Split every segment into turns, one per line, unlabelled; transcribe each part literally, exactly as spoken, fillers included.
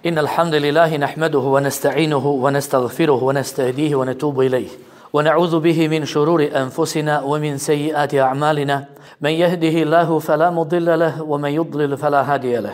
إن الحمد لله نحمده ونستعينه ونستغفره ونستهديه ونتوب إليه ونعوذ به من شرور أنفسنا ومن سيئات أعمالنا من يهده الله فلا مضل له ومن يضلل فلا هادي له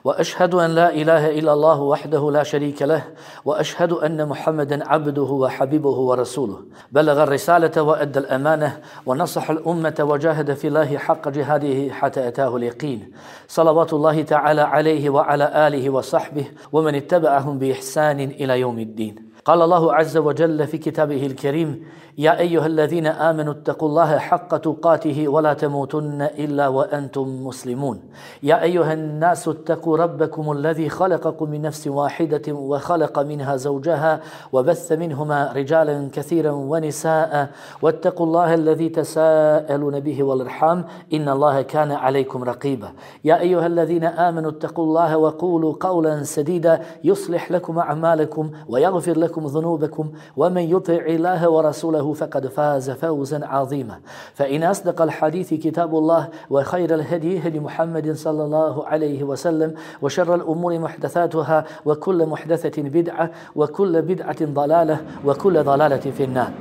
وأشهد أن لا إله إلا الله وحده لا شريك له وأشهد أن محمدا عبده وحبيبه ورسوله بلغ الرسالة وأدى الأمانة ونصح الأمة وجاهد في الله حق جهاده حتى أتاه اليقين صلوات الله تعالى عليه وعلى آله وصحبه ومن اتبعهم بإحسان إلى يوم الدين. قال الله عز وجل في كتابه الكريم: يا أيها الذين آمنوا اتقوا الله حق تقاته ولا تموتن إلا وأنتم مسلمون. يا أيها الناس اتقوا ربكم الذي خلقكم من نفس واحدة وخلق منها زوجها وبث منهما رجالا كثيرا ونساء واتقوا الله الذي تساءلون به والأرحام إن الله كان عليكم رقيبا. يا أيها الذين آمنوا اتقوا الله وقولوا قولا سديدا يصلح لكم أعمالكم ويغفر لكم ذنوبكم ومن يطع الله ورسوله فقد فاز فوزا عظيما. فإن أصدق الحديث كتاب الله وخير الهدي هدي محمد صلى الله عليه وسلم وشر الأمور محدثاتها وكل محدثة بدعة وكل بدعة ضلالة وكل ضلالة في النار.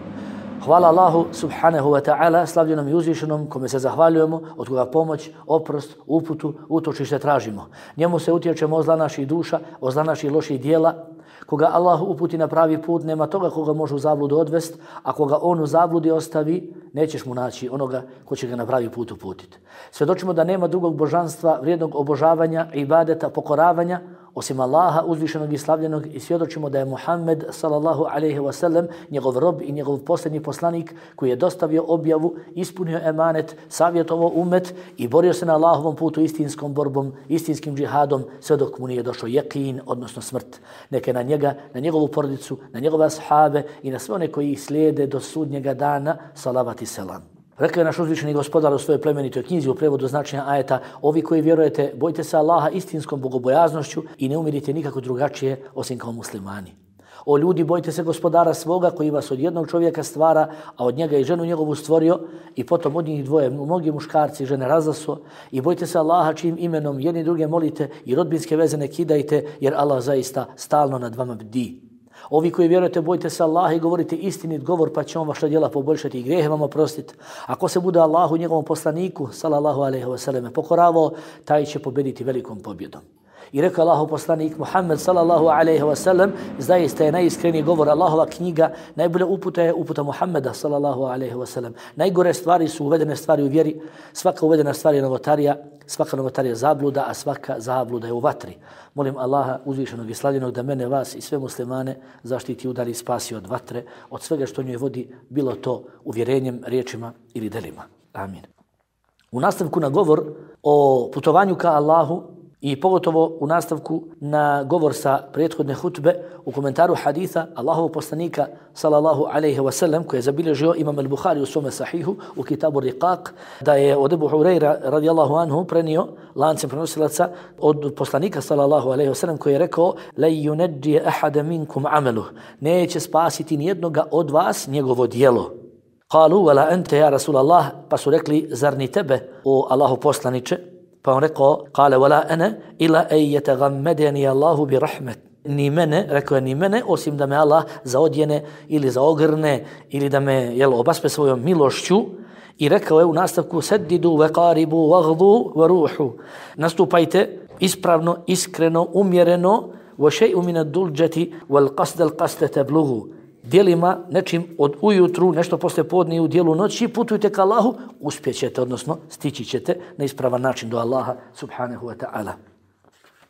Hvala Allahu subhanahu wa ta'ala, slavljenom i uzvišenom, kome se zahvaljujemo, od koga pomoć, oprost, uputu, utočište tražimo. Njemu se utječemo od zla naših duša, od zla naših loših dijela. Koga Allah uputi na pravi put, nema toga koga može u zabludu odvest, a koga on u zabludi ostavi, nećeš mu naći onoga ko će ga na pravi put uputiti. Svjedočimo da nema drugog božanstva, vrijednog obožavanja, ibadeta, pokoravanja, osim Allaha uzvišenog i slavljenog, i svjedočimo da je Muhammed sallallahu alejhi ve sellem njegov rob i njegov posljednji poslanik koji je dostavio objavu, ispunio emanet, savjetovao umet i borio se na Allahovom putu istinskom borbom, istinskim džihadom sve dok mu nije došao jekin, odnosno smrt. Neka na njega, na njegovu porodicu, na njegove ashabe i na sve one koji ih slijede do sudnjega dana salavat i selam. Rekao je naš uzvišeni gospodar u svojoj plemenitoj knjizi u prevodu značenja ajeta: ovi koji vjerujete, bojte se Allaha istinskom bogobojaznošću i ne umirite nikako drugačije osim kao muslimani. O ljudi, bojte se gospodara svoga koji vas od jednog čovjeka stvara, a od njega i ženu njegovu stvorio, i potom od njih dvoje mnogi muškarci i žene razasuo, i bojte se Allaha čijim imenom jedni druge molite i rodbinske veze ne kidajte, jer Allah zaista stalno nad vama bdi. Ovi koji vjerujete, bojte se Allaha i govorite istinit govor, pa će on vaša djela poboljšati i grijehe vam oprostiti. Ako se bude Allahu i njegovom poslaniku sallallahu alejhi ve selleme pokoravao, taj će pobediti velikom pobjedom. I rekao Allahov poslanik Muhammed sallallahu alejhi ve sellem: zaista je najiskreniji govor Allahova knjiga, najbolja uputa je uputa Muhammeda sallallahu alejhi ve sellem. Najgore stvari su uvedene stvari u vjeri, svaka uvedena stvar je novotarija, svaka novotarija je zabluda, a svaka zabluda je u vatri. Molim Allaha uzvišenog i slavljenog da mene, vas i sve muslimane zaštiti i udari, spasi od vatre, od svega što njoj vodi, bilo to uvjerenjem, riječima ili delima. Amin. U nastavku na govor o putovanju ka Allahu i pogotovo u nastavku na govor sa prethodne hutbe u komentaru haditha Allahovog poslanika sallallahu alejhi ve sellem koji je zabilježio Imam al-Buhari u svome sahihu u kitabu Riqaq, da je od Ebu Hurajra radijallahu anhu prenio lancem prenosilaca od poslanika sallallahu alejhi ve sellem koji je rekao: la yunajji ahada minkum amaluh, neće spasiti nijednoga od vas njegovo djelo. Qalu wala anta ya Rasulallah, pa su rekli: zar ni tebe, o Allahov poslanice? Pa on rekao: kale wala ana ila an yataghammadani Allahu bi rahmet. Ni mene, rekao je, ni mene, osim da me Allah zaodjene ili zaogrne ili da me jel, obaspe svojom milošću. I rekao je u nastavku: sedidu ve qaribu vaghdu ve ruhu. Nastupajte ispravno, iskreno, umjereno, wa shay'un min ad-duljati wal qasd al-qasd tablughu. Djelima, nečim od ujutru, nešto posle podne i u dijelu noći, putujte ka Allahu, uspjećete, odnosno stići ćete na ispravan način do Allaha subhanahu wa ta'ala.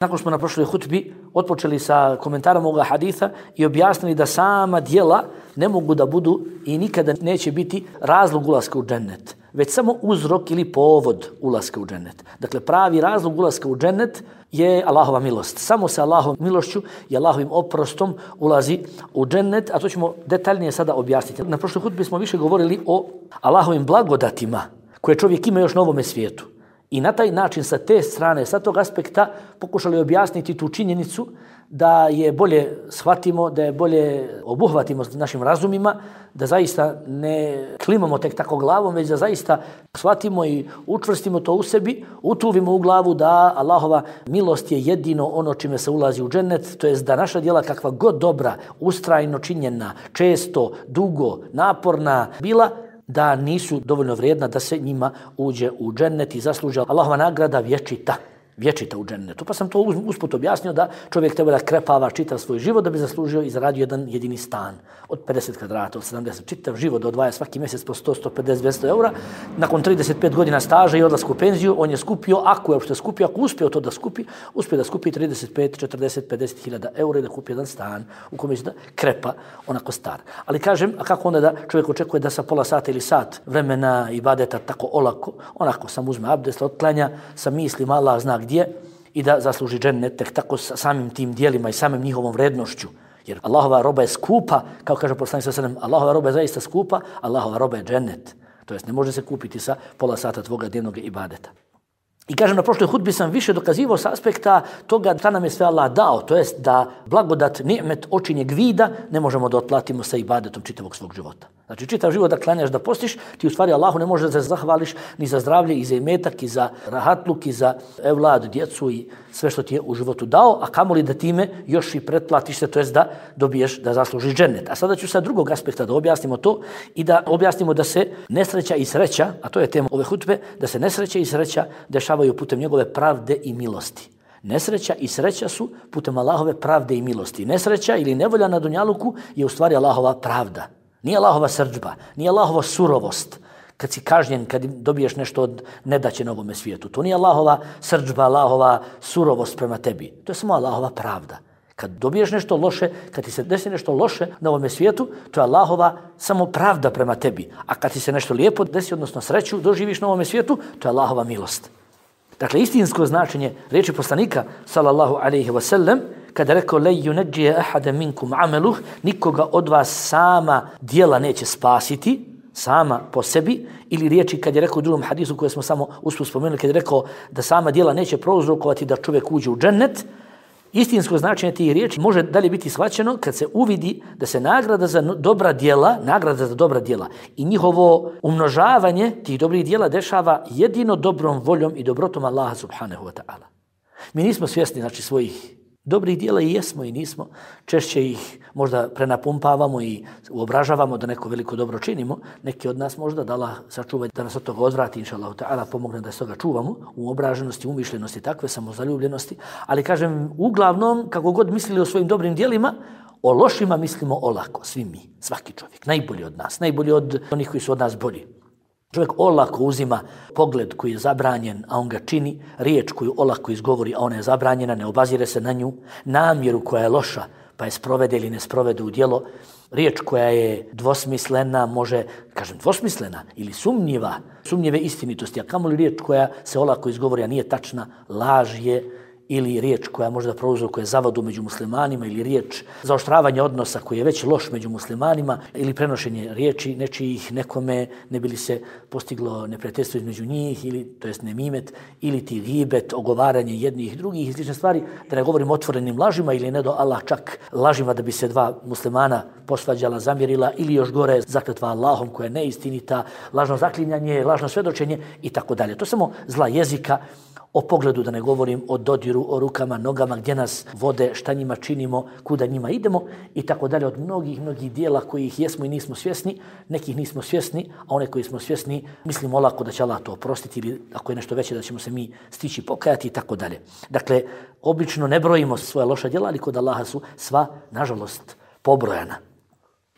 Nakon smo na prošloj hutbi otpočeli sa komentarom ovoga haditha i objasnili da sama djela ne mogu da budu i nikada neće biti razlog ulaska u džennet, već samo uzrok ili povod ulaska u džennet. Dakle, pravi razlog ulaska u džennet je Allahova milost. Samo sa Allahovom milošću i Allahovim oprostom ulazi u džennet, a to ćemo detaljnije sada objasniti. Na prošloj hutbi smo više govorili o Allahovim blagodatima koje čovjek ima još na ovome svijetu. I na taj način sa te strane, sa tog aspekta pokušali objasniti tu činjenicu da je bolje shvatimo, da je bolje obuhvatimo našim razumima, da zaista ne klimamo tek tako glavom, već da zaista shvatimo i učvrstimo to u sebi, utuvimo u glavu da Allahova milost je jedino ono čime se ulazi u džennet, to jest da naša djela kakva god dobra, ustrajno činjena, često, dugo, naporna bila, da nisu dovoljno vrijedna da se njima uđe u džennet i zasluže Allahova nagrada vječita. Vječita u džennetu. Pa sam to usput objasnio da čovjek treba da krepava čitav svoj život da bi zaslužio i zaradio jedan jedini stan od pedeset kvadrata, od sedamdeset, čitav život da odvaja svaki mjesec po sto, sto pedeset, dvjesto eura. Nakon trideset pet godina staža i odlasku u penziju, on je skupio, ako je uopšte skupio, ako uspio to da skupi, uspio da skupi trideset pet, četrdeset, pedeset hiljada eura i da kupi jedan stan u kome će da krepa onako star. Ali kažem, a kako onda da čovjek očekuje da sa pola sata ili sat vremena ibadeta tako olako, onako sam uzme abdest, otklanja, sa mislima Allah zna gdje i da zasluži džennet tek tako samim tim dijelima i samim njihovom vrednošću. Jer Allahova roba je skupa, kao kaže poslanik sallallahu alejhi ve sellem, Allahova roba je zaista skupa, Allahova roba je džennet. To jest ne može se kupiti sa pola sata tvoga dnevnog ibadeta. I kažem, na prošloj hudbi sam više dokazivao s aspekta toga da nam je sve Allah dao, to jest da blagodat, ni'met, očinjeg vida ne možemo da otplatimo sa ibadetom čitavog svog života. Znači, čitav život da klanjaš, da postiš, ti u stvari Allahu ne možeš da se zahvališ ni za zdravlje, i za imetak, i za rahatluk, i za evlad, djecu i sve što ti je u životu dao, a kamoli da time još i pretplatiš se, to jest da dobiješ, da zaslužiš džennet. A sada ću sa drugog aspekta da objasnimo to i da objasnimo da se nesreća i sreća, a to je tema ove hutbe, da se nesreća i sreća dešavaju putem njegove pravde i milosti. Nesreća i sreća su putem Allahove pravde i milosti. Nesreća ili nevolja na dunjaluku je u stvari Allahova pravda. Nije Allahova srdžba, nije Allahova surovost. Kad si kažnjen, kad dobiješ nešto od nedaće na ovome svijetu. To nije Allahova srdžba, Allahova surovost prema tebi. To je samo Allahova pravda. Kad dobiješ nešto loše, kad ti se desi nešto loše na ovome svijetu, to je Allahova samo pravda prema tebi. A kad ti se nešto lijepo desi, odnosno sreću doživiš na ovome svijetu, to je Allahova milost. Dakle, istinsko značenje riječi poslanika, sallallahu alejhi ve sellem, kada rekao le yunajji ahada minkum amaluh, nikoga od vas sama djela neće spasiti, sama po sebi, ili riječi kad je rekao u drugom hadisu koje smo samo usput spomenuli, kad je rekao da sama djela neće prouzrokovati da čovjek uđe u džennet. Istinsko značenje tih riječi može dalje biti shvaćeno kad se uvidi da se nagrada za dobra djela, nagrada za dobra djela i njihovo umnožavanje tih dobrih djela dešava jedino dobrom voljom i dobrotom Allaha subhanahu wa ta'ala. Mi nismo svjesni znači svojih dobrih djela i jesmo i nismo. Češće ih možda prenapumpavamo i uobražavamo da neko veliko dobro činimo. Neki od nas možda da Allah sačuva da nas od toga odvrati, inša Allah ta'ala, pomogne da se toga čuvamo u obraženosti, umišljenosti, takve samozaljubljenosti. Ali kažem, uglavnom, kako god mislili o svojim dobrim djelima, o lošima mislimo olako, svi mi, svaki čovjek, najbolji od nas, najbolji od onih koji su od nas bolji. Čovjek olako uzima pogled koji je zabranjen, a on ga čini, riječ koju olako izgovori, a ona je zabranjena, ne obazire se na nju, namjeru koja je loša, pa je sprovede ili ne sprovede u djelo, riječ koja je dvosmislena, može, kažem, dvosmislena ili sumnjiva, sumnjive istinitosti, a kamoli riječ koja se olako izgovori, a nije tačna, laž je, ili riječ koja možda prouzrokuje zavodu među muslimanima, ili riječ zaoštravanja odnosa koji je već loš među muslimanima, ili prenošenje riječi nečijih nekome ne bi li se postiglo neprijateljstvo između njih, ili to jest nemimet, ili ti gibet, ogovaranje jednih i drugih i slične stvari, da ne govorim otvorenim lažima ili ne do Allah čak lažima da bi se dva muslimana posvađala, zamjerila, ili još gore zakletva Allahom koja je neistinita, lažno zaklinjanje, lažno svedočenje i tako dalje. To je samo zla jezika. O pogledu da ne govorim, o dodiru, o rukama, nogama, gdje nas vode, šta njima činimo, kuda njima idemo i tako dalje, od mnogih, mnogih dijela kojih jesmo i nismo svjesni, nekih nismo svjesni, a one koji smo svjesni mislimo olako da će Allah to oprostiti ili ako je nešto veće da ćemo se mi stići pokajati i tako dalje. Dakle, obično ne brojimo svoje loša djela, ali kod Allaha su sva, nažalost, pobrojana.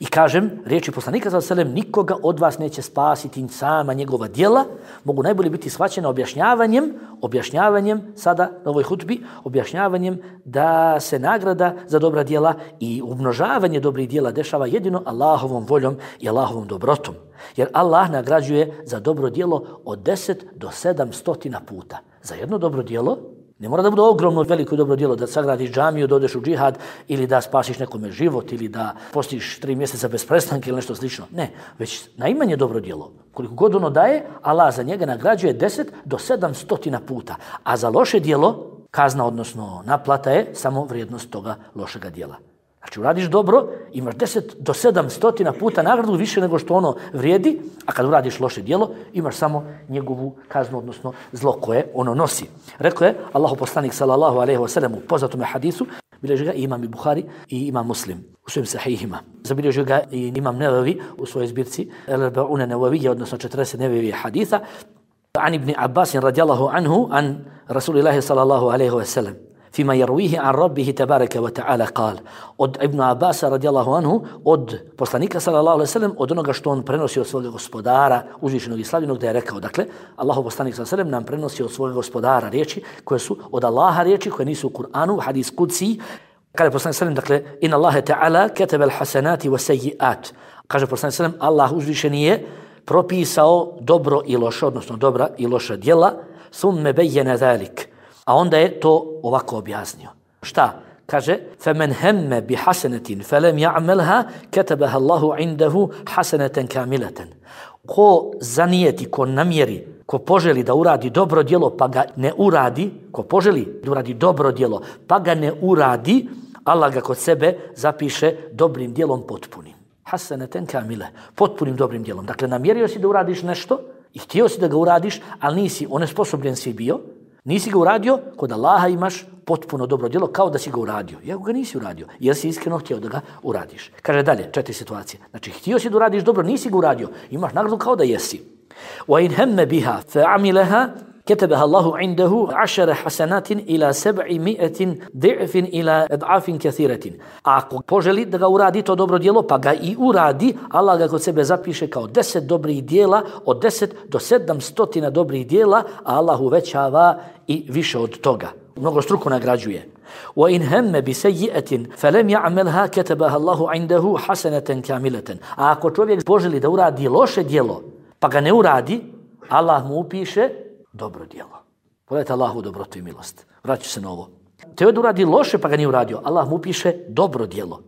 I kažem, riječi poslanika sallallahu alejhi ve sellem, nikoga od vas neće spasiti sama njegova djela, mogu najbolje biti shvaćena objašnjavanjem, objašnjavanjem sada na ovoj hutbi, objašnjavanjem da se nagrada za dobra djela i umnožavanje dobrih djela dešava jedino Allahovom voljom i Allahovom dobrotom. Jer Allah nagrađuje za dobro djelo od deset do sedam stotina puta. Za jedno dobro djelo Ne mora da bude ogromno veliko dobro djelo da sagradiš džamiju, da odeš u džihad ili da spasiš nekome život ili da postiš tri mjeseca bez prestanka ili nešto slično. Ne, već najmanje dobro djelo. Koliko god ono daje, Allah za njega nagrađuje deset do sedam stotina puta. A za loše djelo, kazna odnosno naplata je samo vrijednost toga lošega djela. Znači uradiš dobro, imaš deset do sedam stotina puta nagradu više nego što ono vrijedi, a kad uradiš loše djelo, imaš samo njegovu kaznu, odnosno zlo koje ono nosi. Rekao je Allahu poslanik sallallahu alejhi ve sellem u poznatom hadisu, bilježi ga i imam i Buhari i imam Muslim u svojim sahihima. Zabilježi ga i imam Nevevi u svojoj zbirci El-Arba'una Nevevije, odnosno četrdeset Nevevije haditha. An ibn Abbas radijallahu anhu an Rasulillahi sallallahu alejhi ve sellem. فيما يرويه عن ربه تبارك وتعالى قال od Ibn Abbasa radijallahu anhu, od poslanika sallallahu alejhi ve sellem, od onoga što on prenosi od svog gospodara uzvišenog i slavljenog, da je rekao, dakle Allahov poslanik sallallahu alejhi ve sellem nam prenosi od svog gospodara riječi koje su od Allaha riječi koje nisu u Kur'anu, hadis kudsi. Kaže poslanik sallallahu alejhi ve sellem, dakle inna Allaha ta'ala kataba al-hasanati was-sayyi'at. Kaže poslanik sallallahu alejhi ve sellem, Allah uzvišeni je propisao dobro i loše, odnosno dobra i loša djela, thumma bayyana zalik. A onda je to ovako objasnio. Šta? Kaže, فَمَنْ هَمَّ بِحَسَنَةٍ فَلَمْ يَعْمَلْهَا كَتَبَهَا اللَّهُ عِنْدَهُ حَسَنَةً كَامِلَةً. Ko zanijeti, ko namjeri, ko poželi da uradi dobro djelo pa ga ne uradi, ko poželi da uradi dobro djelo pa ga ne uradi, Allah ga kod sebe zapiše dobrim djelom potpunim. Hasanatan kamile, potpunim dobrim djelom. Dakle, namjerio si da uradiš nešto i htio si da ga uradiš, ali nisi onesposobljen si bio, nisi ga uradio, kod Allaha imaš potpuno dobro djelo kao da si ga uradio. Iako ga nisi uradio, jer si iskreno htio da ga uradiš. Kaže dalje, četiri situacije. Znači, htio si da uradiš dobro, nisi ga uradio, imaš nagradu kao da jesi. وَإِنْ هَمَّ بِهَا فَعَمِلَهَا كتبها الله عنده عشر حسنات إلى سبعمائة ضعف إلى أضعاف كثيرة. Ako poželi da ga uradi to dobro djelo, pa ga i uradi, Allah ga kod sebe zapiše kao deset dobrih djela, od deset do sedam stotina dobrih djela, a Allah uvećava i više od toga. Mnogo struko nagrađuje. وَإِنْ هَمَّ بِسَيِّئَةٍ فَلَمْ يَعْمَلْهَا كَتَبَهَا اللَّهُ عِنْدَهُ حَسَنَةً كَامِلَةً. A ako čovjek poželi da uradi loše djelo, pa ga ne uradi, Allah mu upiše dobro djelo. Pogledajte Allahu dobrotu i milost. Vraću se na ovo. Teo da uradi loše pa ga nije uradio, Allah mu piše dobro djelo.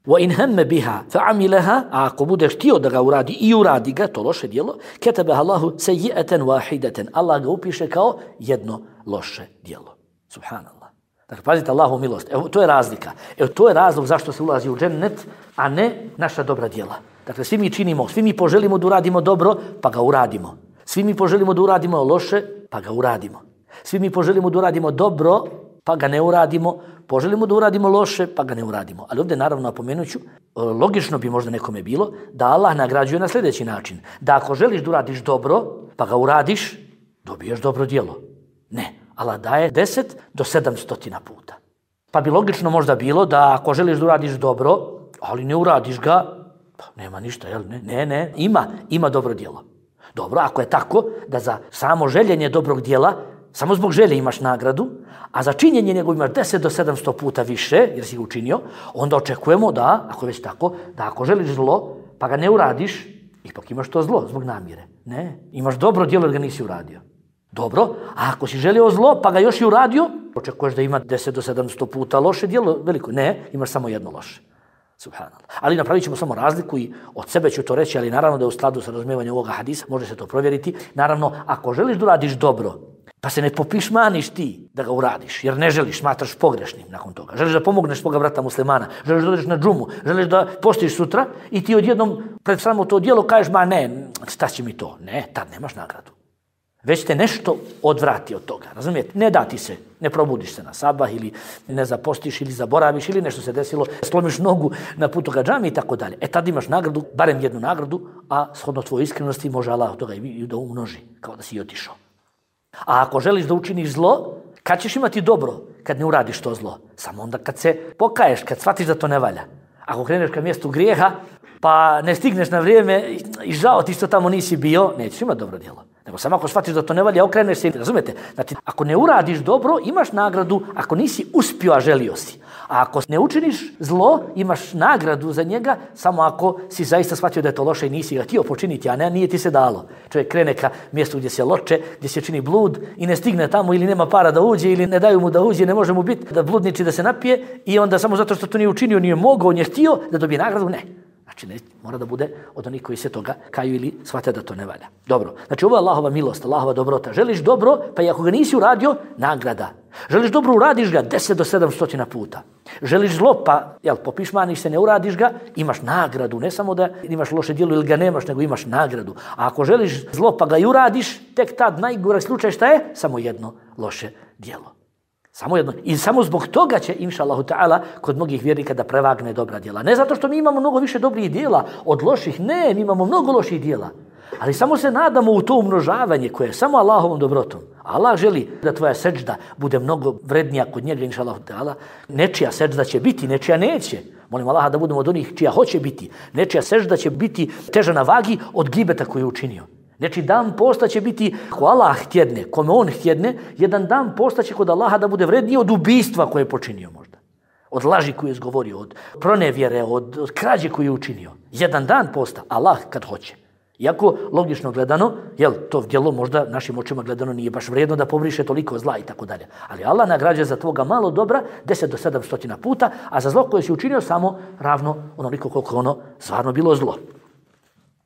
وَإِنْ هَمَّ بِهَا فَعَمِلَهَا. A ako budeš htio da ga uradi i uradi ga, to loše djelo, كَتَبَهَا اللَّهُ سَيِّئَةً وَاحِدَةً. Allah ga upiše kao jedno loše djelo. Subhanallah. Dakle, pazite Allahu milost. Evo, to je razlika. Evo, to je razlog zašto se ulazi u džennet, a ne naša dobra djela. Dakle, svi mi činimo, svi mi poželimo da uradimo dobro, pa ga uradimo. Svi mi poželimo da uradimo loše, pa ga uradimo. Svi mi poželimo da uradimo dobro, pa ga ne uradimo. Poželimo da uradimo loše, pa ga ne uradimo. Ali ovdje naravno napomenuću, logično bi možda nekome bilo da Allah nagrađuje na sljedeći način. Da ako želiš da uradiš dobro, pa ga uradiš, dobiješ dobro djelo. Ne, Allah daje deset do sedam stotina puta. Pa bi logično možda bilo da ako želiš da uradiš dobro, ali ne uradiš ga, pa nema ništa, jel? Ne, ne, ne. Ima, ima dobro djelo. Dobro, ako je tako da za samo željenje dobrog djela, samo zbog želje imaš nagradu, a za činjenje njegov imaš deset do sedamsto puta više, jer si ga učinio, onda očekujemo da, ako je već tako, da ako želiš zlo, pa ga ne uradiš, ipak imaš to zlo zbog namjere. Ne, imaš dobro djelo jer ga nisi uradio. Dobro, a ako si želio zlo, pa ga još i uradio, očekuješ da ima deset do sedamsto puta loše djelo, veliko. Ne, imaš samo jedno loše. Subhanallah. Ali napravit ćemo samo razliku i od sebe ću to reći, ali naravno da je u skladu sa razumijevanjem ovoga hadisa, može se to provjeriti. Naravno, ako želiš da uradiš dobro, pa se ne popišmaniš ti da ga uradiš, jer ne želiš, smatraš pogrešnim nakon toga. Želiš da pomogneš svoga brata muslimana, želiš da odeš na džumu, želiš da postiš sutra i ti odjednom pred samo to djelo kažeš, ma ne, šta će mi to? Ne, tad nemaš nagradu. Već te nešto odvrati od toga, razumijete? Ne da ti se, ne probudiš se na sabah ili ne zapostiš ili zaboraviš ili nešto se desilo, slomiš nogu na putu ka džami i tako dalje. E tad imaš nagradu, barem jednu nagradu, a shodno tvojoj iskrenosti može Allah od toga i da umnoži, kao da si i otišao. A ako želiš da učiniš zlo, kad ćeš imati dobro? Kad ne uradiš to zlo. Samo onda kad se pokaješ, kad shvatiš da to ne valja. Ako kreneš ka mjestu grijeha, pa ne stigneš na vrijeme i žao ti što tamo nisi bio, nećeš imati dobro djelo. Nego samo ako shvatiš da to ne valja, okreneš se, razumete? Znači, ako ne uradiš dobro, imaš nagradu, ako nisi uspio, a želio si. A ako ne učiniš zlo, imaš nagradu za njega samo ako si zaista shvatio da je to loše i nisi ga htio počiniti, a ne, nije ti se dalo. Čovjek krene ka mjestu gdje se loče, gdje se čini blud i ne stigne tamo ili nema para da uđe ili ne daju mu da uđe, ne može mu biti da bludniči da se napije i onda samo zato što to nije učinio, nije mogao, nije htio da dobije nagradu, ne. Znači, ne, mora da bude od onih koji se toga kaju ili shvate da to ne valja. Dobro, znači ovo je Allahova milost, Allahova dobrota. Želiš dobro, pa i ako ga nisi uradio, nagrada. Želiš dobro, uradiš ga deset do sedamstotina puta. Želiš zlo, pa jel, popišmaniš se, ne uradiš ga, imaš nagradu. Ne samo da imaš loše djelo ili ga nemaš, nego imaš nagradu. A ako želiš zlo, pa ga i uradiš, tek tad najgore slučaj šta je? Samo jedno loše djelo. Samo jedno. I samo zbog toga će, inša Allahu ta'ala, kod mnogih vjernika da prevagne dobra djela. Ne zato što mi imamo mnogo više dobrih djela od loših, ne, mi imamo mnogo loših djela. Ali samo se nadamo u to umnožavanje koje je samo Allahovom dobrotom. Allah želi da tvoja seđda bude mnogo vrednija kod njega, inša Allahu ta'ala. Nečija seđda će biti, nečija neće. Molim Allaha da budemo od onih čija hoće biti. Nečija seđda će biti teža na vagi od gibeta koju je učinio. Znači dan posta će biti, ako Allah htjedne, kome on htjedne, jedan dan posta će kod Allaha da bude vredniji od ubistva koje je počinio možda. Od laži koju je izgovorio, od pronevjere, od, od krađe koju je učinio. Jedan dan posta, Allah kad hoće. Iako, logično gledano, jel, to djelo možda našim očima gledano nije baš vrijedno da pobriše toliko zla i tako dalje. Ali Allah nagrađuje za tvoga malo dobra deset do sedamstotina puta, a za zlo koje si učinio samo ravno onoliko koliko ono stvarno bilo zlo.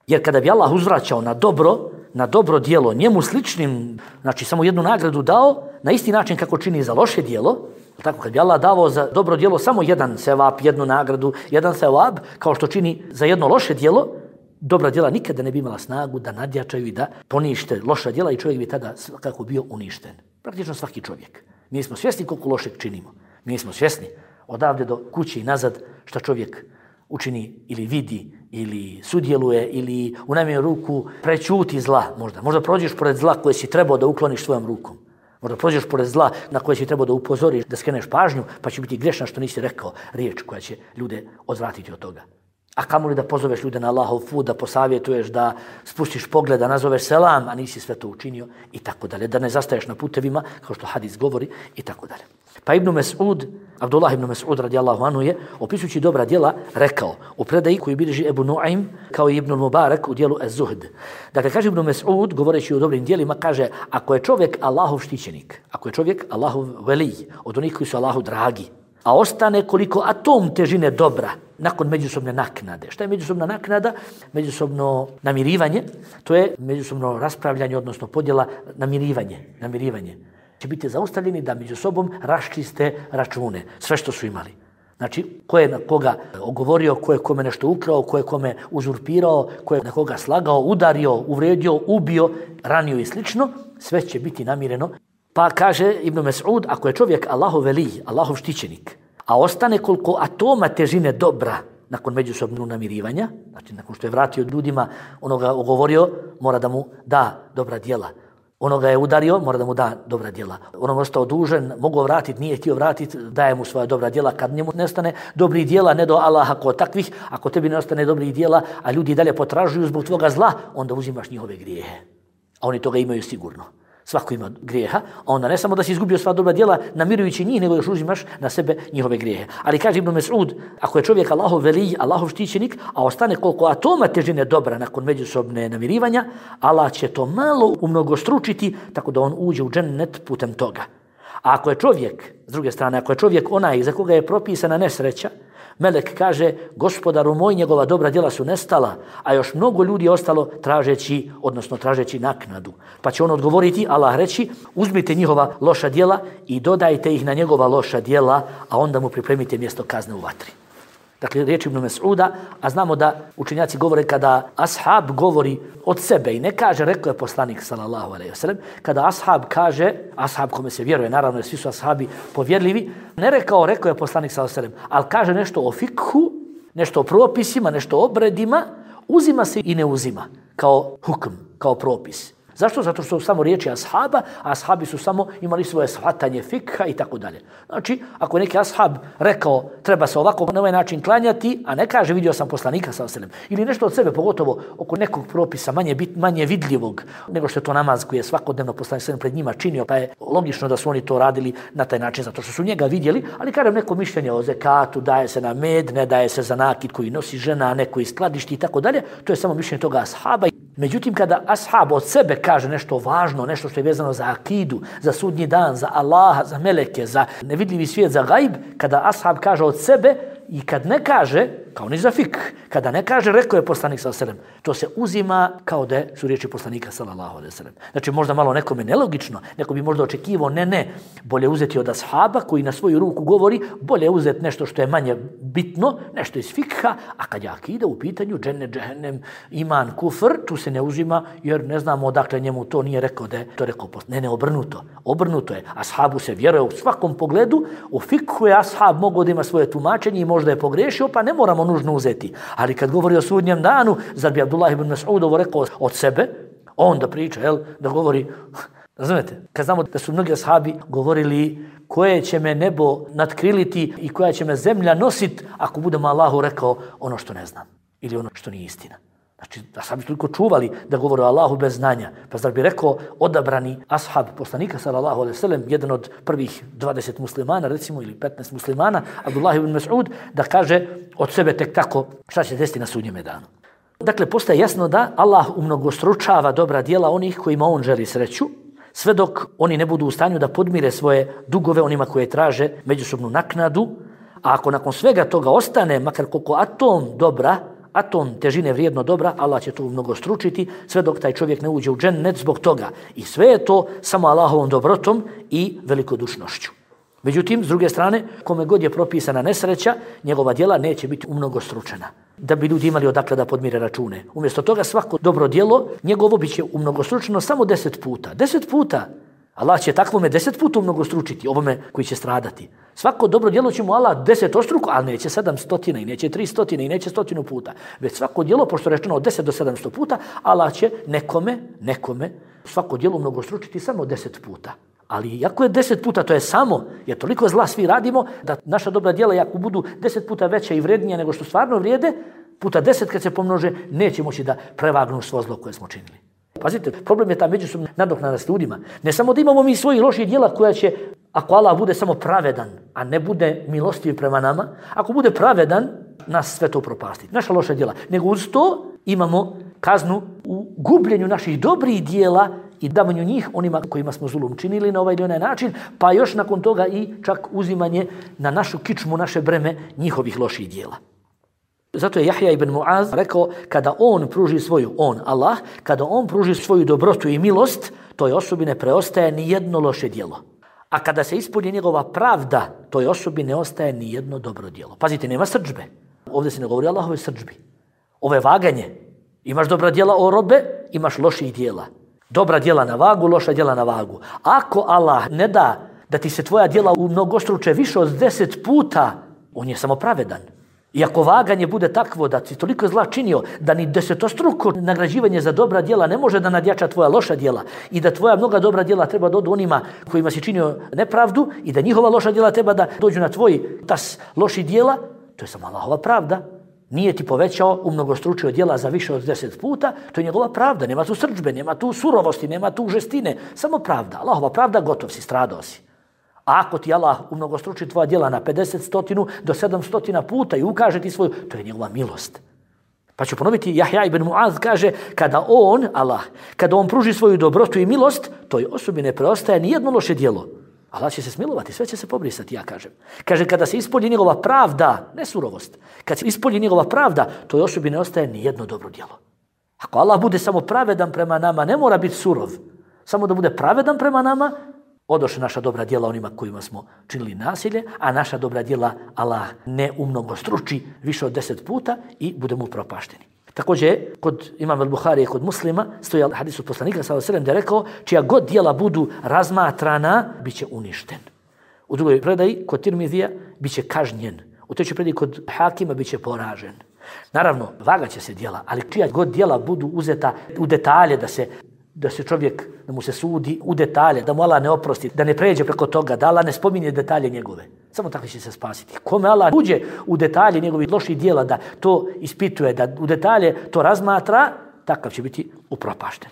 Jer kada bi Allah uzvraćao na dobro, na dobro djelo, njemu sličnim, znači samo jednu nagradu dao, na isti način kako čini za loše djelo, tako kad bi Allah davao za dobro djelo samo jedan sevap, jednu nagradu, jedan sevap, kao što čini za jedno loše djelo, dobra djela nikada ne bi imala snagu da nadjačaju i da ponište loša djela i čovjek bi tada kako bio uništen. Praktično svaki čovjek. Mi nismo svjesni koliko lošeg činimo. Mi nismo svjesni odavde do kuće i nazad što čovjek učini ili vidi ili sudjeluje ili u najmanju ruku prećuti zla možda. Možda prođeš pored zla koje si trebao da ukloniš svojom rukom. Možda prođeš pored zla na koje si trebao da upozoriš, da skreneš pažnju, pa će biti grešna što nisi rekao riječ koja će ljude odvratiti od toga. A kamoli da pozoveš ljude na Allahov put, da posavjetuješ, da spustiš pogled, da nazoveš selam, a nisi sve to učinio i tako dalje. Da ne zastaješ na putevima, kao što hadis govori i tako dalje. Pa Ibn Mes'ud, Abdullah ibn Mes'ud radijallahu anhu je, opisujući dobra djela, rekao u predaji koju bilježi Ebu Nuaym kao i Ibn Mubarak u dijelu Az-Zuhd. Dakle, kaže Ibn Mes'ud, govoreći o dobrim djelima, kaže, ako je čovjek Allahov štićenik, ako je čovjek Allahov velij, od onih koji su Allahu dragi, a ostane koliko atom težine dobra nakon međusobne naknade. Šta je međusobna naknada? Međusobno namirivanje, to je međusobno raspravljanje, odnosno podjela, namirivanje, namirivanje. Će biti zaustavljeni da među sobom raščiste račune, sve što su imali. Znači, ko je na koga ogovorio, ko je kome nešto ukrao, ko je kome uzurpirao, ko je na koga slagao, udario, uvredio, ubio, ranio i slično, sve će biti namireno. Pa kaže Ibn Mes'ud, ako je čovjek Allahov velij, Allahov štićenik, a ostane koliko atoma težine dobra nakon međusobnog namirivanja, znači nakon što je vratio ljudima, onoga ogovorio, mora da mu da dobra djela. Onoga je udario, mora da mu da dobra djela. Onoga ostao dužen, mogao vratiti, nije htio vratiti, daje mu svoja dobra djela. Kad njemu nestane dobrih djela, ne do Allaha kao takvih, ako tebi ne ostane dobrih djela, a ljudi dalje potražuju zbog tvoga zla, onda uzimaš njihove grijehe. A oni toga imaju sigurno. Svako ima grijeha, a onda ne samo da si izgubio sva dobra djela namirujući njih, nego još uzimaš na sebe njihove grijehe. Ali kaže Ibn Mes'ud, ako je čovjek Allahov velij, Allahov štićenik, a ostane koliko atoma težine dobra nakon međusobne namirivanja, Allah će to malo umnogostručiti tako da on uđe u džennet putem toga. A ako je čovjek, s druge strane, ako je čovjek onaj za koga je propisana nesreća, melek kaže, gospodaru moj, njegova dobra djela su nestala, a još mnogo ljudi je ostalo tražeći, odnosno tražeći naknadu. Pa će on odgovoriti, Allah reći, uzmite njihova loša djela i dodajte ih na njegova loša djela, a onda mu pripremite mjesto kazne u vatri. Dakle, riječ Ibn Mes'uda, a znamo da učenjaci govore kada ashab govori od sebe i ne kaže, rekao je poslanik sallallahu alejhi ve sellem, kada ashab kaže, ashab kome se vjeruje, naravno jer svi su ashabi povjerljivi, ne rekao, rekao je poslanik sallallahu alejhi ve sellem, ali kaže nešto o fikhu, nešto o propisima, nešto o obredima, uzima se i ne uzima kao hukm, kao propis. Zašto? Zato što su samo riječi ashaba, a ashabi su samo imali svoje shvatanje fikha i tako dalje. Znači, ako je neki ashab rekao treba se ovako na ovaj način klanjati, a ne kaže vidio sam poslanika sallallahu alejhi ve sellem, ili nešto od sebe, pogotovo oko nekog propisa manje bit, manje vidljivog nego što je to namaz koji je svakodnevno poslanik sallallahu pred njima činio, pa je logično da su oni to radili na taj način zato što su njega vidjeli, ali kažem neko mišljenje o zekatu, daje se na med, ne daje se za nakit koji nosi žena, neko iz skladišti i tako dalje, to je samo mišljenje toga ashaba. Međutim, kada ashab od sebe kaže nešto važno, nešto što je vezano za akidu, za sudnji dan, za Allaha, za meleke, za nevidljivi svijet, za gajb, kada ashab kaže od sebe i kad ne kaže, kao ni za fik, kada ne kaže rekao je poslanik sallallahu alejhi ve sellem, to se uzima kao da su riječi poslanika sallallahu alejhi ve sellem. Znači možda malo nekome nelogično, neko bi možda očekivao, ne, ne, bolje uzeti od ashaba koji na svoju ruku govori, bolje uzeti nešto što je manje bitno, nešto iz fikha, a kad je akida u pitanju, džennet, džehennem, iman, kufr, tu se ne uzima jer ne znamo odakle njemu to nije rekao da je to rekao poslanik. Ne, ne, obrnuto. Obrnuto je. Ashabu se vjeruje u svakom pogledu, u fikhu je ashab mogao da ima svoje tumačenje i možda je pogrešio, pa ne moramo nužno uzeti. Ali kad govori o sudnjem danu, zar bi Abdullah ibn Mas'ud ovo rekao od sebe, on da priča, jel, da govori, razumete, kad znamo da su mnogi ashabi govorili koje će me nebo natkriliti i koja će me zemlja nositi ako budemo Allahu rekao ono što ne znam ili ono što nije istina. Znači, ashabi su toliko čuvali da govore o Allahu bez znanja. Pa zar bi rekao odabrani ashab poslanika sallallahu alejhi ve sellem, jedan od prvih dvadeset muslimana, recimo, ili petnaest muslimana, Abdullah ibn Mas'ud, da kaže od sebe tek tako šta će desiti na sudnjem danu. Dakle, postaje jasno da Allah umnogostručava dobra djela onih kojima on želi sreću, sve dok oni ne budu u stanju da podmire svoje dugove onima koje traže međusobnu naknadu, a ako nakon svega toga ostane, makar koliko atom dobra, atom težine vrijedno dobra, Allah će to mnogo stručiti, sve dok taj čovjek ne uđe u džennet zbog toga. I sve je to samo Allahovom dobrotom i velikodušnošću. Međutim, s druge strane, kome god je propisana nesreća, njegova djela neće biti umnogostručena, da bi ljudi imali odakle da podmire račune. Umjesto toga svako dobro djelo, njegovo bit će umnogostručeno samo deset puta. Deset puta! Allah će takvome deset puta umnogostručiti, ovome koji će stradati. Svako dobro djelo će mu Allah deset ostruku, ali neće sedam stotina i neće tri stotine i neće stotinu puta. Već svako djelo, pošto je rečeno od deset do sedamsto puta, Allah će nekome, nekome, svako djelo umnogostručiti samo deset puta. Ali iako je deset puta, to je samo, jer toliko zla svi radimo, da naša dobra djela, ako budu deset puta veća i vrednija nego što stvarno vrijede, puta deset kad se pomnože, neće moći da prevagnu svo zlo koje smo činili. Pazite, problem je ta međusobna nadoknada s ljudima. Ne samo da imamo mi svojih loših djela koja će, ako Allah bude samo pravedan, a ne bude milostiv prema nama, ako bude pravedan, nas sve to propastiti. Naša loša djela. Nego uz to imamo kaznu u gubljenju naših dobrih djela i davanju njih onima kojima smo zulum činili na ovaj ili onaj način, pa još nakon toga i čak uzimanje na našu kičmu, naše breme njihovih loših djela. Zato je Jahja ibn Muaz rekao, kada on pruži svoju, on, Allah, kada on pruži svoju dobrotu i milost, toj osobi ne preostaje ni jedno loše djelo. A kada se ispuni njegova pravda, toj osobi ne ostaje ni jedno dobro djelo. Pazite, nema srdžbe. Ovdje se ne govori o Allahove srdžbi. Ovo je vaganje. Imaš dobra djela o robe, imaš loših djela. Dobra djela na vagu, loša djela na vagu. Ako Allah ne da da ti se tvoja djela u mnogostruče više od deset puta, on je samo pravedan. I ako vaganje bude takvo da si toliko zla činio, da ni desetostruko nagrađivanje za dobra djela ne može da nadjača tvoja loša djela i da tvoja mnoga dobra djela treba da odu onima kojima si činio nepravdu i da njihova loša djela treba da dođu na tvoj tas loših djela, to je samo Allahova pravda. Nije ti povećao, umnogostručio djela za više od deset puta, to je njegova pravda. Nema tu srdžbe, nema tu surovosti, nema tu žestine. Samo pravda. Allahova pravda, gotov si, stradao si. A ako ti Allah umnogostruči tvoja djela na pedeset, stotinu do sedamsto puta i ukaže ti svoju, to je njegova milost. Pa ću ponoviti, Jahja ibn Muaz kaže, kada on, Allah, kada on pruži svoju dobrotu i milost, toj osobi ne preostaje ni jedno loše djelo. Allah će se smilovati, sve će se pobrisati, ja kažem. Kaže, kada se ispolji njegova pravda, ne surovost, kad se ispolji njegova pravda, toj osobi ne ostaje ni jedno dobro djelo. Ako Allah bude samo pravedan prema nama, ne mora biti surov. Samo da bude pravedan prema nama, odoše naša dobra djela onima kojima smo činili nasilje, a naša dobra djela Allah ne umnogostruči više od deset puta i budemo upropašteni. Također, kod imama al-Buharije, kod muslima, stoji hadis od poslanika sallallahu alejhi ve sellem da je rekao, čija god djela budu razmatrana, bit će uništen. U drugoj predaji, kod Tirmizija, bit će kažnjen. U trećoj predaji, kod Hakima, bit će poražen. Naravno, vagat će se djela, ali čija god djela budu uzeta u detalje da se da se čovjek, da mu se sudi u detalje, da mu Allah ne oprosti, da ne pređe preko toga, da Allah ne spominje detalje njegove. Samo tako će se spasiti. Kome Allah uđe u detalje njegovih loših djela, da to ispituje, da u detalje to razmatra, takav će biti upropašten.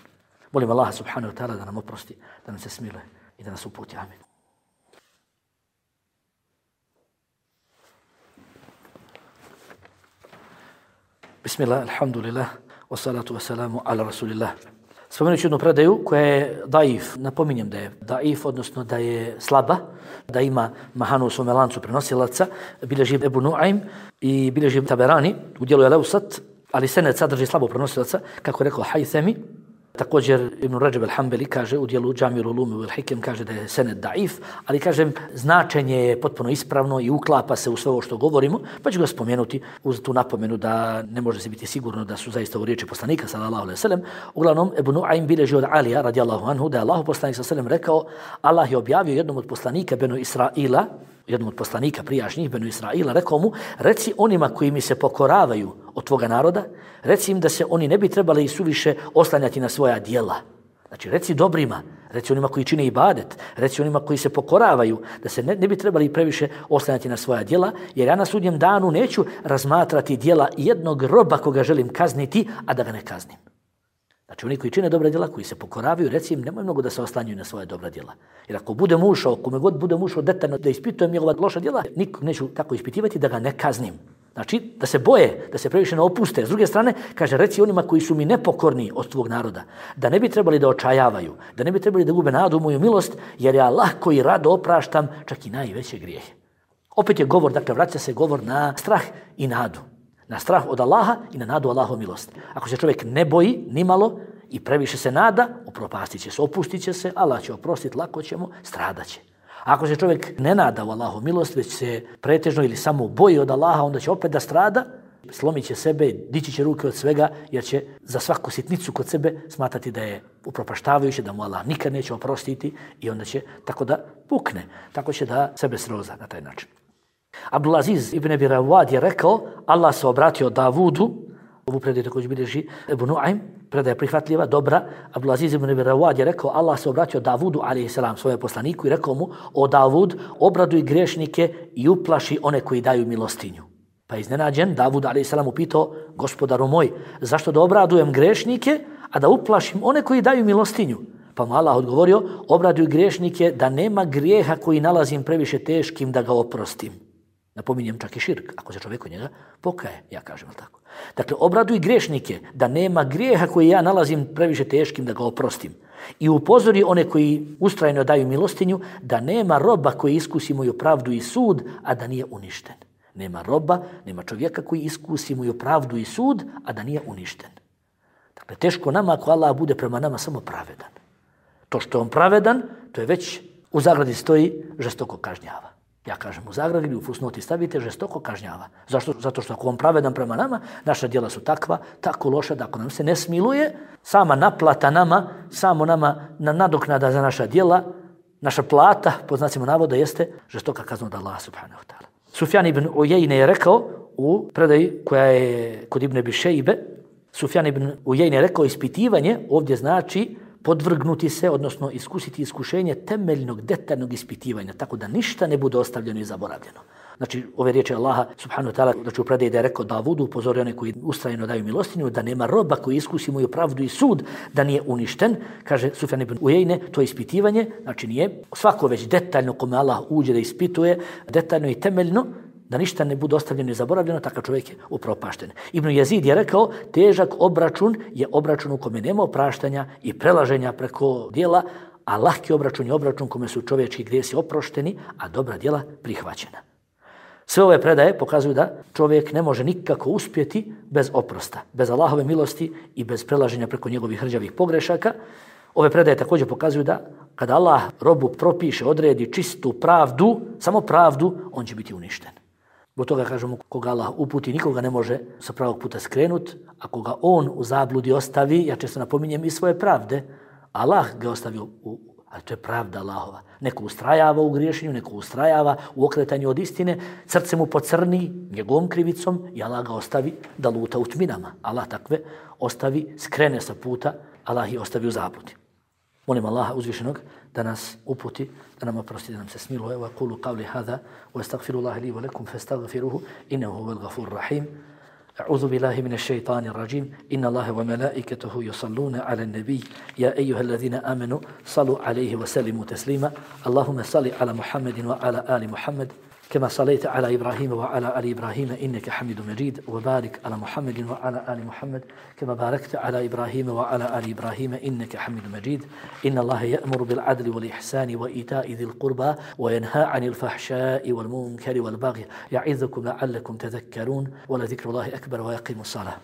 Molim Allaha subhanahu wa ta'ala da nam oprosti, da nam se smiluje i da nas uputi. Amin. Bismillah, alhamdulillah, wassalatu wassalamu ala rasulillah. Spomenut ću jednu predaju koja je daif, napominjem da je daif, odnosno da je slaba, da ima mahanu u svome lancu prenosilaca, bilježi Ebu Nu'aym i bilježi Taberani, u dijelu je Leusat, ali sened sadrži slabo prenosilaca, kako je rekao Haythami. Također Ibn Rajab al-Hanbali kaže u dijelu Džamil Ulumi wal Hikem kaže da je sened daif, ali kažem značenje je potpuno ispravno i uklapa se u sve ovo što govorimo, pa ću ga spomenuti uz tu napomenu da ne može se biti sigurno da su zaista u riječi poslanika sallallahu alejhi ve sellem. Uglavnom Ebu Nu'aym bilježi od Alija radijallahu anhu da je Allahu poslanik sallallahu alejhi ve sellem rekao: Allah je objavio jednom od poslanika Benu Israila, jednom od poslanika prijašnjih Benu Israila, rekao mu: reci onima koji mi se pokoravaju od tvoga naroda, reci im da se oni ne bi trebali suviše oslanjati na svoja djela. Znači, reci dobrima, reci onima koji čine ibadet, reci onima koji se pokoravaju, da se ne, ne bi trebali previše oslanjati na svoja djela, jer ja na sudnjem danu neću razmatrati djela jednog roba koga želim kazniti, a da ga ne kaznim. Znači, oni koji čine dobra djela, koji se pokoravaju, reci im, nemoj mnogo da se oslanjuju na svoje dobra djela. Jer ako budem ušao, kome god budem ušao detaljno da ispitujem njegova loša djela, nikog neću tako ispitivati da ga ne kaznim. Znači, da se boje, da se previše ne opuste. S druge strane, kaže, reci onima koji su mi nepokorni od tvog naroda, da ne bi trebali da očajavaju, da ne bi trebali da gube nadu u moju milost, jer ja lahko i rado opraštam čak i najveće grijehe. Opet je govor, dakle, vraća se govor na strah i nadu. Na strah od Allaha i na nadu Allahov milosti. Ako se čovjek ne boji nimalo i previše se nada, upropastit će se, opustit će se, Allah će oprostiti, lako ćemo, stradat će. Ako se čovjek ne nada u Allahov milost, već se pretežno ili samo boji od Allaha, onda će opet da strada, slomit će sebe, dići će ruke od svega, jer će za svaku sitnicu kod sebe smatrati da je upropaštavajuće, da mu Allah nikad neće oprostiti i onda će tako da pukne. Tako će da sebe sroza na taj način. Abdulaziz ibn Abi Rawad je rekao, Allah se obratio Davudu, ovu predaju također bilježi Ebu Nu'aym, predaja prihvatljiva, dobra. Abdulaziz ibn Abi Rawad je rekao, Allah se obratio Davudu, alejhi selam, svojem poslaniku i rekao mu: o Davud, obraduj grešnike i uplaši one koji daju milostinju. Pa je iznenađen, Davud, alejhi selam, upitao: gospodaru moj, zašto da obradujem grešnike, a da uplašim one koji daju milostinju? Pa mu Allah odgovorio: obraduj grešnike da nema grijeha koji nalazim previše teškim da ga oprostim. Napominjem čak i širk, ako se čovjek od njega pokaje, ja kažem tako. Dakle, obraduj grešnike da nema grijeha koji ja nalazim previše teškim da ga oprostim. I upozori one koji ustrajno daju milostinju da nema roba koji iskusi moju pravdu i sud, a da nije uništen. Nema roba, nema čovjeka koji iskusi moju pravdu i sud, a da nije uništen. Dakle, teško nama ako Allah bude prema nama samo pravedan. To što je on pravedan, to je već u zagradi stoji žestoko kažnjava. Ja kažem u zagradi ili u fusnoti stavite žestoko kažnjava. Zašto? Zato što ako on pravedan prema nama, naša djela su takva, tako loša da ako nam se ne smiluje, sama naplata nama, samo nama na nadoknada za naša djela, naša plata, po znacima navoda, jeste žestoka kazna od Allaha subhanahu wa ta'ala. Sufjan ibn Ujejne je rekao u predaji koja je kod Ibn Abi Šejbe, Sufjan ibn Ujejne je rekao, ispitivanje ovdje znači podvrgnuti se, odnosno iskusiti iskušenje temeljnog, detaljnog ispitivanja, tako da ništa ne bude ostavljeno i zaboravljeno. Znači, ove riječi Allaha subhanahu wa ta'ala, znači u predaji da je rekao Davudu, upozori one koji ustrajno daju milostinju, da nema roba koji iskusi moju pravdu i sud, da nije uništen. Kaže Sufjan ibn Ujejne, to je ispitivanje, znači nije svako već detaljno kome Allah uđe da ispituje, detaljno i temeljno, da ništa ne bude ostavljeno i zaboravljeno, takav čovjek je upropašten. Ibn Jezid je rekao, težak obračun je obračun u kome nema opraštanja i prelaženja preko djela, a lahki obračun je obračun kome su čovječki grijesi oprošteni, a dobra djela prihvaćena. Sve ove predaje pokazuju da čovjek ne može nikako uspjeti bez oprosta, bez Allahove milosti i bez prelaženja preko njegovih hrđavih pogrešaka. Ove predaje također pokazuju da kada Allah robu propiše, odredi čistu pravdu, samo pravdu, on će biti uništen. Zbog toga kažemo, koga Allah uputi, nikoga ne može sa pravog puta skrenut, a koga on u zabludi ostavi, ja često napominjem i svoje pravde, Allah ga ostavio, u, ali to je pravda Allahova. Neko ustrajava u griješenju, neko ustrajava u okretanju od istine, srce mu pocrni njegovom krivicom i Allah ga ostavi da luta u tminama. Allah takve ostavi, skrene sa puta Allah ih ostavi u zabludi. Molim Allaha uzvišenog da nas uputi, da nam oprosti, da nam se smiluje. Wa qulu qawli hadha wa astaghfirullaha li wa lakum fastaghfiruhu innahu huwal ghafurur rahim. أعوذ بالله من الشيطان الرجيم إن الله وملائكته يصلون على النبي يا أيها الذين آمنوا صلوا عليه وسلموا تسليما اللهم صل على محمد وعلى آل محمد كما صليت على إبراهيم وعلى آل إبراهيم إنك حميد مجيد وبارك على محمد وعلى آل محمد كما باركت على إبراهيم وعلى آل إبراهيم إنك حميد مجيد إن الله يأمر بالعدل والإحسان وإيتاء ذي القربى وينهى عن الفحشاء والمنكر والبغي يعظكم لعلكم تذكرون ولذكر الله أكبر ويقيم الصلاة